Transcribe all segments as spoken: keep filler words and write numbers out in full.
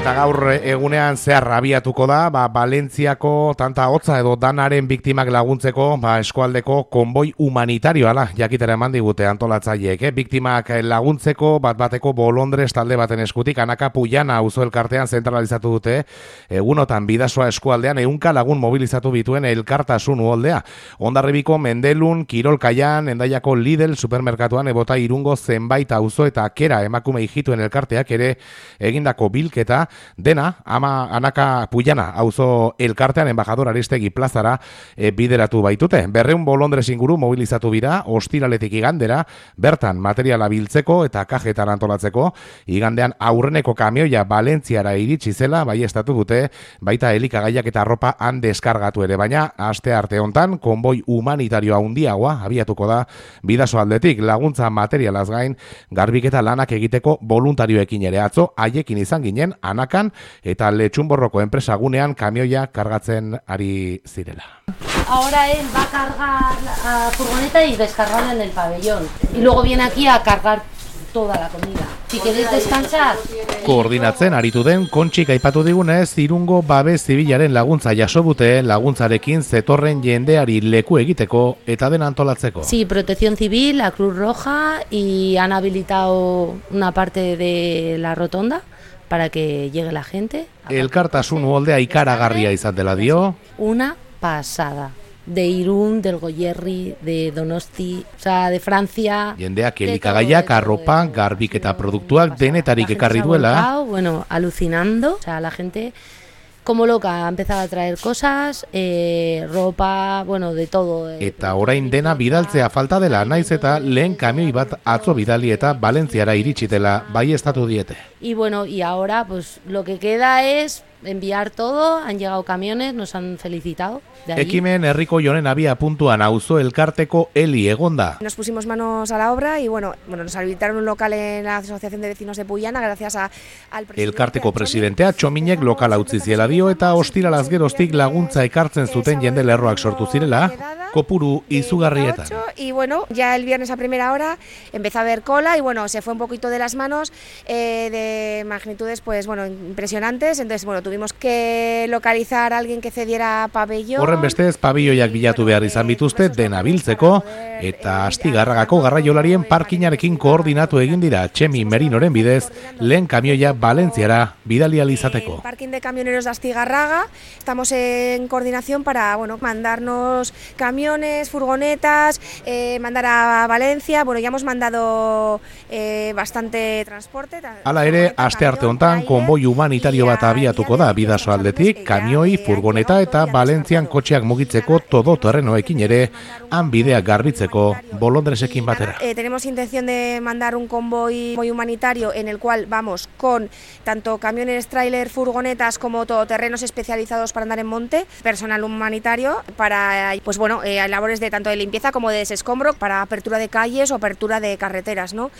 Eta gaur egunean zehar abiatuko da, ba, Valentziako tanta hotza edo danaren biktimak laguntzeko, ba, eskualdeko konboi humanitarioa la, jakitera eman digute antolatzaileek, eh? Biktimak laguntzeko bat bateko Bolondres talde baten eskutik, Anaka Puyana auzo elkartean zentralizatu dute, egunotan Bidasoa eskualdean ehunka lagun mobilizatu bituen elkartasun uholdea. Hondarribiko Mendelun, Kirolkaian, Hendaiako Lidl supermerkatuan ebota Irungo zenbait auzo eta Kera emakume hijituen elkarteak ere egindako bilketa dena, ama Anaka Puyana auzo elkartean embajador Aristegi plazara e, bideratu baitute. Berreun Bolondres inguru mobilizatu bira, ostiraletik igandera, bertan materiala biltzeko eta kajetan antolatzeko, igandean aurreneko kamioia Valentziara iritsi zela, bai estatu dute, baita elikagaiak eta arropa han deskargatu ere, baina aste arte hontan, konboi humanitarioa handiagoa abiatuko da Bidaso aldetik, laguntza materialaz gain, garbiketa lanak egiteko voluntarioekin ere atzo, haiekin izan ginen, Anakan eta Letxunborroko enpresagunean kamioia kargatzen ari zirela. Ahora él va a cargar la furgoneta y descargarla en el pabellón. Y luego viene aquí a cargar toda la comida. Si queréis descansar. Koordinatzen aritu den Kontxik aipatu digunez, Irungo babes zibilaren laguntza jaso dute, laguntzarekin zetorren jendeari leku egiteko eta den antolatzeko. Sí, Protección Civil, la Cruz Roja, y han habilitado una parte de la rotonda para que llegue la gente. Elkartasun uholdea ikaragarria izan dela dio. Una pasada. De Irún, del Goierri, de Donosti, o sea, de Francia. Jendeak elikagaiak, arropa, garbiketa produktuak denetarik ekarri duela. Bueno, alucinando. O sea, la gente como loca ha empezado a traer cosas, eh, ropa, bueno, de todo. Eh. Eta orain dena bidaltzea falta dela, naiz eta lehen kamioi bat atzo bidali eta Valentziara iritsi dela bai estatu diete. Y bueno, y ahora pues lo que queda es enviar todo, han llegado camiones, nos han felicitado. Ekimen herriko jonen abia puntuan auzo elkarteko Eli egonda. Nos pusimos manos a la obra y bueno, bueno nos habilitaron un local en la Asociación de Vecinos de Puyana gracias a, al presidente. Elkarteko presidentea Txominek lokala utzi ziela dio eta ostiralaz geroztik laguntza ekartzen zuten jende lerroak sortu zirela, kopuru izugarrietan. Y bueno, ya el viernes a primera hora empezó a haber cola y bueno, se fue un poquito de las manos eh, de magnitudes pues bueno, impresionantes, entonces bueno, tuvimos que localizar a alguien que cediera pabellón. Horren bestez, pabelloiak bilatu behar izan bituzte dena biltzeko, eta Astigarragako garraiolarien parkinarekin koordinatu egin dira Txemi Merinoren bidez, lehen kamioia Valentziara bidali ahal izateko. Parking de camioneros de Astigarraga, estamos en coordinación para bueno, mandarnos camiones, furgonetas, eh, mandar a Valencia, bueno, ya hemos mandado eh, bastante transporte. Hala ere, aste arte hontan konboi humanitario bat abiatuko da Bidaso aldetik, kamioi, furgoneta eta Valentzian kotxeak mugitzeko todo terrenoekin ere, han bideak garbitzeko Bolondresekin batera. Eh, tenemos intención de mandar un convoy humanitario en el cual vamos con tanto camiones, tráiler, furgonetas como todoterrenos especializados para andar en monte, personal humanitario para pues bueno, eh, labores de tanto de limpieza como de desescombro, para apertura de calles o apertura de carreteras, ¿no?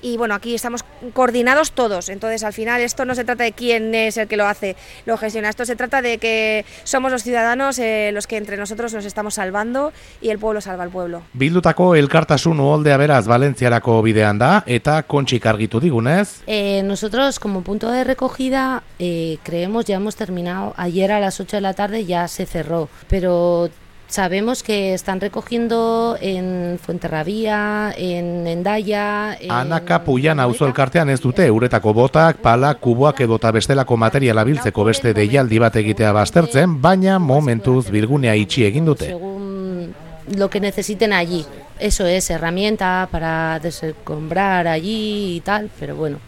Y bueno, aquí estamos coordinados todos, entonces al final esto no se trata de quién es el que lo hace, lo gestiona, esto se trata de que somos los ciudadanos eh, los que entre nosotros nos estamos salvando y el pueblo salva al pueblo. Bildutako elkartasun uholdea beraz Valentziarako bidean da eta Kontxik argitu digunez. Eh, nosotros como punto de recogida eh, creemos ya hemos terminado, ayer a las ocho de la tarde ya se cerró, pero sabemos que están recogiendo en Fuenterrabía, en Hendaya... En... Anaka Puyana auzo elkartean ez dute uretako botak, pala, kuboak edota bestelako materiala biltzeko beste deialdi bat egitea baztertzen, baina momentuz bilgunea itxi egin dute. Según lo que necesiten allí. Eso es, herramienta para desescombrar allí y tal, pero bueno.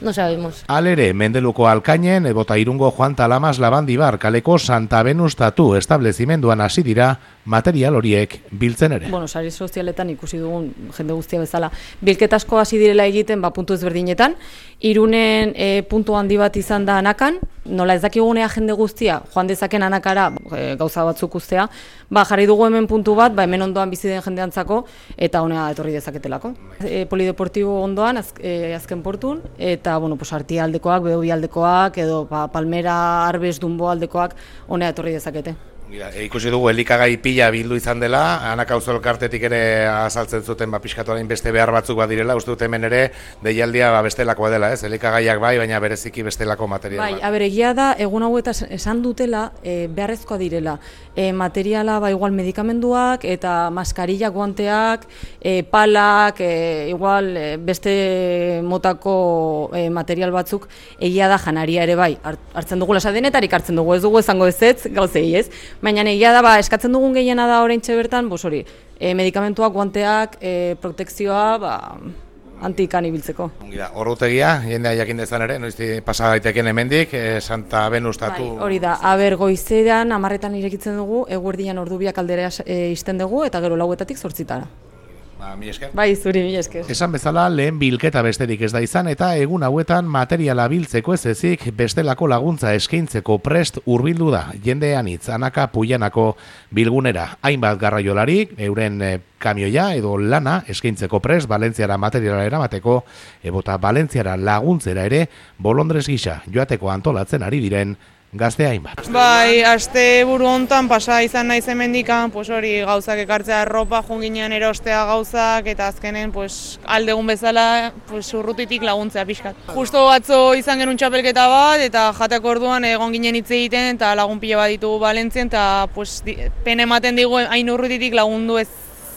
No sabemos. Alere, Mendeluko Alkainen, ebota Irungo Juan Talamas Labandibar, kaleko Santa Venus Tatu establezimenduan hasi dira material horiek biltzen ere. Bueno, sare sozialetan ikusi dugun jende guztia bezala. Bilketasko hasi direla egiten, ba, puntu ezberdinetan. Irunen e, puntu handi bat izan da Anakan, nola ez dakigunea jende guztia, joan dezaken Anakara e, gauza batzuk ustea, ba, jarri dugu hemen puntu bat, ba, hemen ondoan bizi den jendeantzako, eta honea etorri dezaketelako. E, polideportibo ondoan, az, e, azken portun, eta, bueno, pues, Artia aldekoak, Beobi aldekoak, edo pa, Palmera, Arbes, Dumbo aldekoak, honea etorri dezakete. E, ikusi dugu elikagai pila bildu izan dela, Anaka Auzo Elkartetik ere azaltzen zuten ba, pixkatuaren beste behar batzuk badirela, uste dut hemen ere deialdia ba, bestelakoa dela, ez? Elikagaiak bai, baina bereziki bestelako material bai, bat. Aber, egia da, egun hauetan esan dutela, e, beharrezkoa direla. E, materiala, ba, igual medikamenduak, eta maskarilla, guanteak, e, palak, e, igual e, beste motako e, material batzuk, egia da janaria ere bai. Hartzen dugu lasadenetarik hartzen dugu, ez dugu esango ez ez, gauzei ez. Baina egia da, ba, eskatzen dugun gehiena da oraintxe bertan, bos hori, e, medikamentuak, guanteak, e, protekzioa, ba, antikan ibiltzeko. Ordutegia, jendea jakin dezan ere, noizti pasa daiteken hemendik, e, Santa Benustatu... Bai, hori da, aber goizean hamarretan irekitzen dugu, eguerdian ordu biak aldera e, izten dugu, eta gero lauetatik zortzitara. Ba, mi esker. Bai, zuri, mi esker. Esan bezala, lehen bilketa besterik ez da izan, eta egun hauetan materiala biltzeko ez ezik bestelako laguntza eskaintzeko prest hurbildu da. Jende anitz, Anaka Puilanako bilgunera. Hainbat garraiolarik, euren e, kamioia edo lana eskaintzeko prest, Valentziara materiala eramateko, ebota Valentziara laguntzera ere, bolondrez gisa joateko antolatzen ari diren, gazte hainbat. Bai, aste buru hontan pasa izan naiz hemendikan, pues hori gauzak ekartzea erropa, junginean erostea gauzak, eta azkenen pues aldegun bezala pues urrutitik laguntzea pixkat. Justo atzo izan genuen txapelketa bat, eta jateak orduan egon ginen hitz egiten, eta lagun pila bat ditugu Valentzien, eta pues pena ematen digu hain urrutitik lagundu ez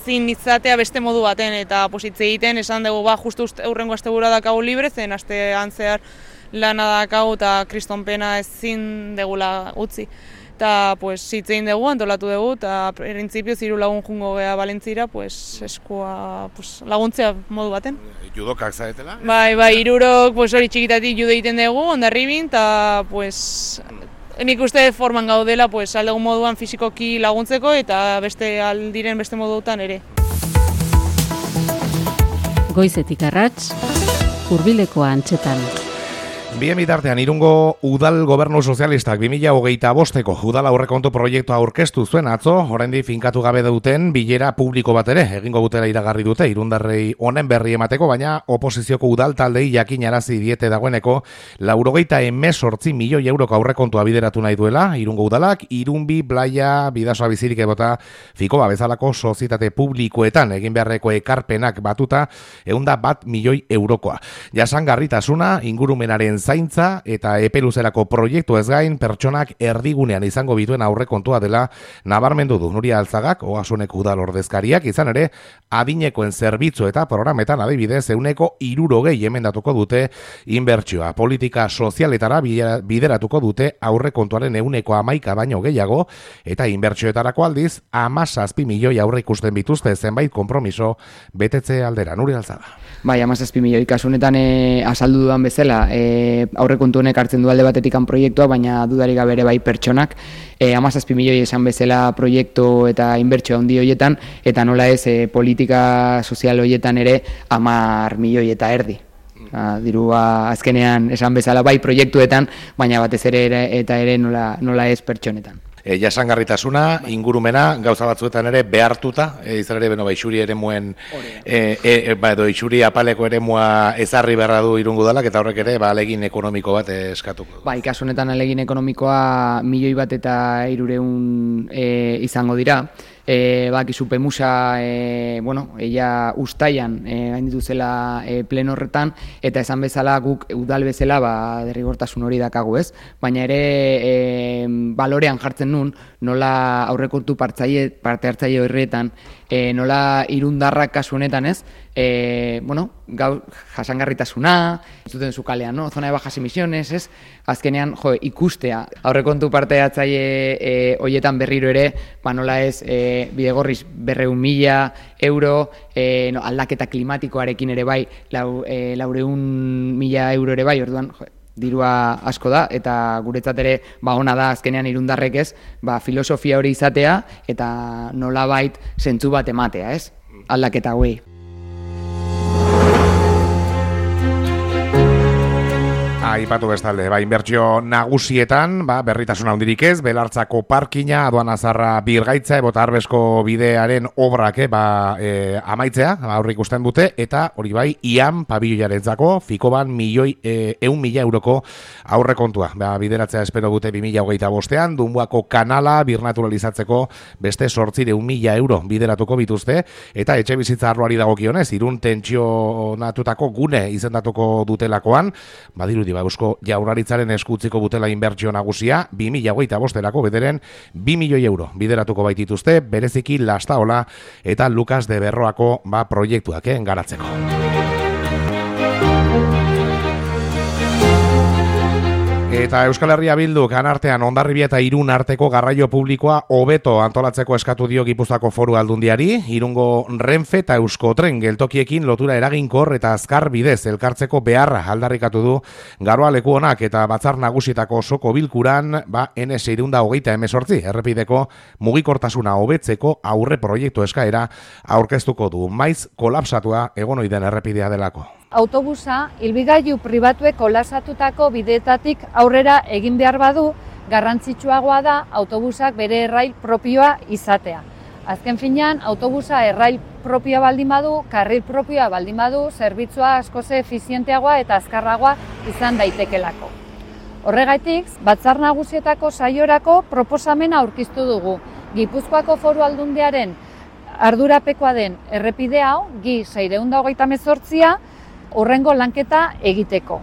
zin izatea beste modu baten, eta pues hitz egiten esan dugu ba justu aurrengo astebura dakagu libre, zen astean zehar lana dakagu eta kriston pena ezin degula utzi. Eta pues hitz egin dugu, antolatu dugu, eta printzipioz hiru lagun jungo gea Valentzira, pues eskua pues, laguntzea modu baten. Judokak zaretela? Bai, bai, hirurok pues hori txikitatik judo egiten dugu, Hondarribin, eta pues nik uste forman gaudela pues aldegun moduan fisikoki laguntzeko eta beste aldiren beste modutan ere. Goizetik arrats, hurbileko antxetan. Bien bitartean, Irungo Udal Gobernu Sozialistak bi mila hogeita bosteko Udal aurrekontu proiektua aurkeztu zuen atzo, oraindik finkatu gabe duten bilera publiko bat ere egingo dutela iragarri dute irundarrei honen berri emateko, baina oposizioko udal taldei jakinarazi diete dagoeneko laurogeita hemezortzi milioi euroko aurrekontua bideratu nahi duela Irungo Udalak, Irunbi, Blaia, Bidasoa bizirik edota Fikoba bezalako sozietate publikoetan egin beharreko ekarpenak batuta ehunda bat milioi eurokoa. Jasangarritasuna, ingurumenaren zaintza eta epeluzerako proiektu ez gain pertsonak erdigunean izango bituen aurrekontua dela nabarmendu du Nuria Altzagak, Ogasuneko udal ordezkariak, izan ere adinekoen zerbitzu eta programetan adibidez ehuneko hirurogei emendatuko dute inbertsioa. Politika sozialetara bideratuko dute aurrekontuaren ehuneko hamaika baino gehiago eta inbertsioetarako aldiz hamazazpi milioi aurre ikusten bituzte zenbait konpromiso betetze aldera. Nuria Altzaga. Bai, hamazazpi milioi kasunetan e, azaldu dudan bezala, e, aurrekontu honek hartzen du alde batetikan proiektua, baina dudarik gabe ere bai pertsonak, e, hamazazpi milioi esan bezala proiektu eta inbertsio handi horietan, eta nola ez e, politika sozial horietan ere hamar milioi eta erdi. A, dirua azkenean esan bezala bai proiektuetan, baina batez ere, ere eta ere nola, nola ez pertsonetan. E, jasangarritasuna, ingurumena, gauza batzuetan ere behartuta, e, izan ere, beno, ba, isuri ere muen, e, e, ba, edo, isuri apaleko ere mua ezarri beharra du Irungo Udalak, eta horrek ere, ba, alegin ekonomiko bat eskatuko. Ba, ikasunetan alegin ekonomikoa milioi bat eta hirureun e, izango dira. E, bakizu Pemusa, e, bueno, ella ustaian e, gainditu zela e, pleno horretan, eta esan bezala guk udal bezala ba, derrigortasun hori dakagu ez, baina ere e, balorean jartzen nun, nola aurrekontu partzaile, parte hartzaile horretan, e, nola irundarrak kasu honetan ez, e, bueno, gau, jasangarritasuna, zuten zukalean, no? Zona de bajas emisiones, ez? Azkenean, jo, ikustea, aurrekontu parte hartzaile e, hoietan berriro ere, ba nola ez, e, bidegorriz berreun mila euro, e, no, aldaketa klimatikoarekin ere bai, lau, e, laureun mila euro ere bai, orduan, jo, dirua asko da, eta guretzat ere ba ona da azkenean irundarrek ez, ba filosofia hori izatea eta nolabait zentzu bat ematea, ez? Aldaketa hauei. Aipatu bestalde, ba, inbertsio nagusietan, ba, berritasun handirik ez, Belartzako parkina, aduana zarra birgaitza, ebota arbesko bidearen obrak, eh, ba, e, amaitzea, ba, aurrik usten dute, eta hori bai, ian pabilloiarentzako, fikoban milioi, e, eun mila euroko aurre kontua. Ba, bideratzea espero dute bi mila hogeita bostean, Dunbuako kanala birnaturalizatzeko beste sortzire eun mila euro bideratuko bituzte, eta etxe bizitza arloari dagokionez, irun tentsionatutako gune izendatuko dutelakoan, badiru Ba, Eusko Jaurlaritzaren eskutziko butela inbertsio nagusia, bi mila hogeita bosterako bederen bi milioi euro bideratuko baitituzte, bereziki Lastaola eta Lukas de Berroako ba, proiektuak eh, garatzeko. Eta Euskal Herria Bilduk anartean Hondarribia eta Irun arteko garraio publikoa hobeto antolatzeko eskatu dio Gipuzkoako Foru Aldundiari, Irungo Renfe eta Euskotren geltokiekin lotura eraginkor eta azkar bidez elkartzeko beharra aldarrikatu du Garoa leku honak eta batzar nagusietako osoko bilkuran, ba N seiehun eta hogeita hemezortzi errepideko mugikortasuna hobetzeko aurre proiektu eskaera aurkeztuko du, maiz kolapsatua egon ohi den errepidea delako. Autobusa, hilbigailu pribatuek kolasatutako bideetatik aurrera egin behar badu, garrantzitsuagoa da autobusak bere errail propioa izatea. Azken finean, autobusa errail propioa baldin badu, karril propioa baldin badu, zerbitzua askoz efizienteagoa eta azkarragoa izan daitekelako. Horregatik, batzar nagusietako saiorako proposamena aurkeztu dugu. Gipuzkoako Foru Aldundiaren ardurapekoa den errepide hau, G seiehun eta hogeita hemezortzia, horrengo lanketa egiteko.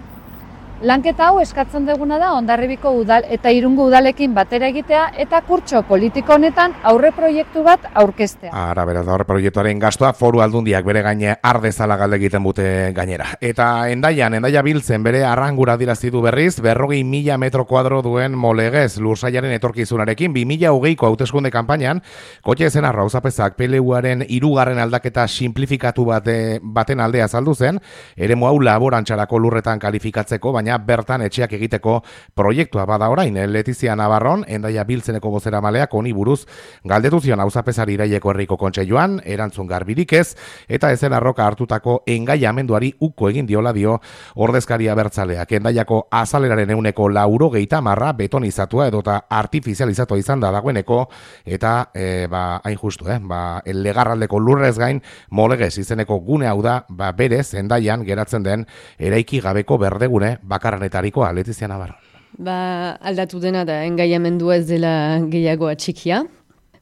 Lanketa hau eskatzen duguna da Hondarribiko udal eta Irungo udalekin batera egitea eta kurtso politiko honetan aurre proiektu bat aurkeztea. Ara, beraz, aurre proiektuaren gastua Foru Aldundiak bere gaine ardezala galde egiten bute gainera. Eta Hendaian, Hendaia Biltzen bere arrangura dirazi du berriz, berrogei mila metro kuadro duen molegez lursaiaren etorkizunarekin, bi mila hogeiko hauteskunde kanpainan, kotxe ezen arra auzapezak P L Uaren hirugarren aldaketa simplifikatu bate, baten aldea azaldu zen, eremu hau laborantxarako lurretan kalifikatzeko, baina bertan etxeak egiteko proiektua bada orain. Letizia Navarron, Hendaia Biltzeneko bozeramaleak honi buruz galdetu zion auzapezari Iraileko Herriko Kontseiluan, erantzun garbirik ez, eta ezen arroka hartutako engaiamenduari uko egin diola dio ordezkaria bertzaleak. Hendaiako azaleraren euneko laurogeita marra betonizatua edota artifizializatua izan da dagoeneko, eta e, ba, hain justu, eh? ba, legarraldeko lurrez gain molegez izeneko gune hau da, ba, berez Hendaian geratzen den eraiki gabeko berdegune bakarranetarikoa. Letizia Navarro. Ba, aldatu dena da, engaiamendua ez dela gehiago atxikia.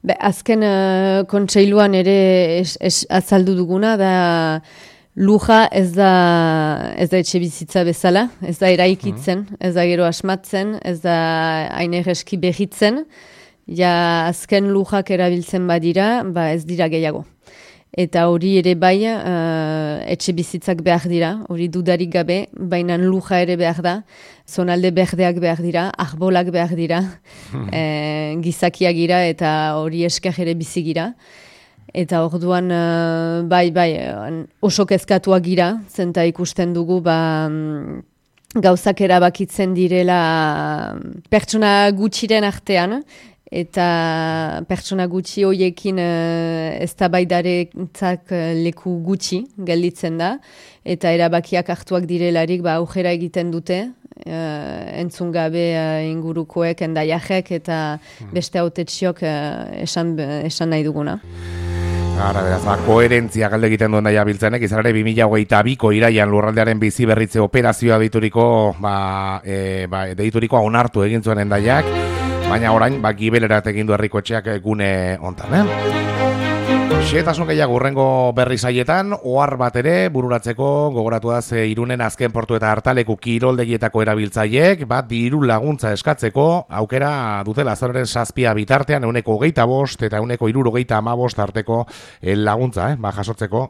Be, azken uh, kontseiluan ere es, es, azaldu duguna da luja ez da, ez da etxe bizitza bezala, ez da eraikitzen, mm. ez da gero asmatzen, ez da hain erreski behitzen, ja azken lujak erabiltzen badira, ba ez dira gehiago. Eta hori ere bai uh, etxe bizitzak behar dira, hori dudarik gabe, baina luja ere behar da, zonalde berdeak behar dira, arbolak behar dira, e, gizakiak gira eta hori esker ere bizi gira. Eta orduan uh, bai, bai, oso kezkatuak gira, zenta ikusten dugu, ba, gauzak erabakitzen direla pertsona gutxiren artean, eta pertsona gutxi hoiekin uh, eztabaidarentzat uh, leku gutxi gelditzen da, eta erabakiak hartuak direlarik ba aujera egiten dute, uh, entzun gabe uh, ingurukoek, endaiajek eta beste hautetsiok uh, esan, esan nahi duguna. Ara, beraz, ba, koherentzia galde egiten duen daia biltzenek, izan ere bi mila hogeita biko iraian lurraldearen bizi berritze operazioa deituriko, ba, e, ba, deiturikoa onartu egin zuen endaiak, baina orain, ba, gibelerat egin du herrikotxeak gune hontan, eh? Xetasun gehiago urrengo berri saietan, ohar bat ere bururatzeko gogoratuaz Irunen azken portu eta hartaleku kiroldegietako erabiltzaileek, bat diru laguntza eskatzeko, aukera dutela azararen zazpia bitartean, euneko hogeita bost eta euneko hirurogeita hamabost arteko laguntza, eh? ba, jasotzeko.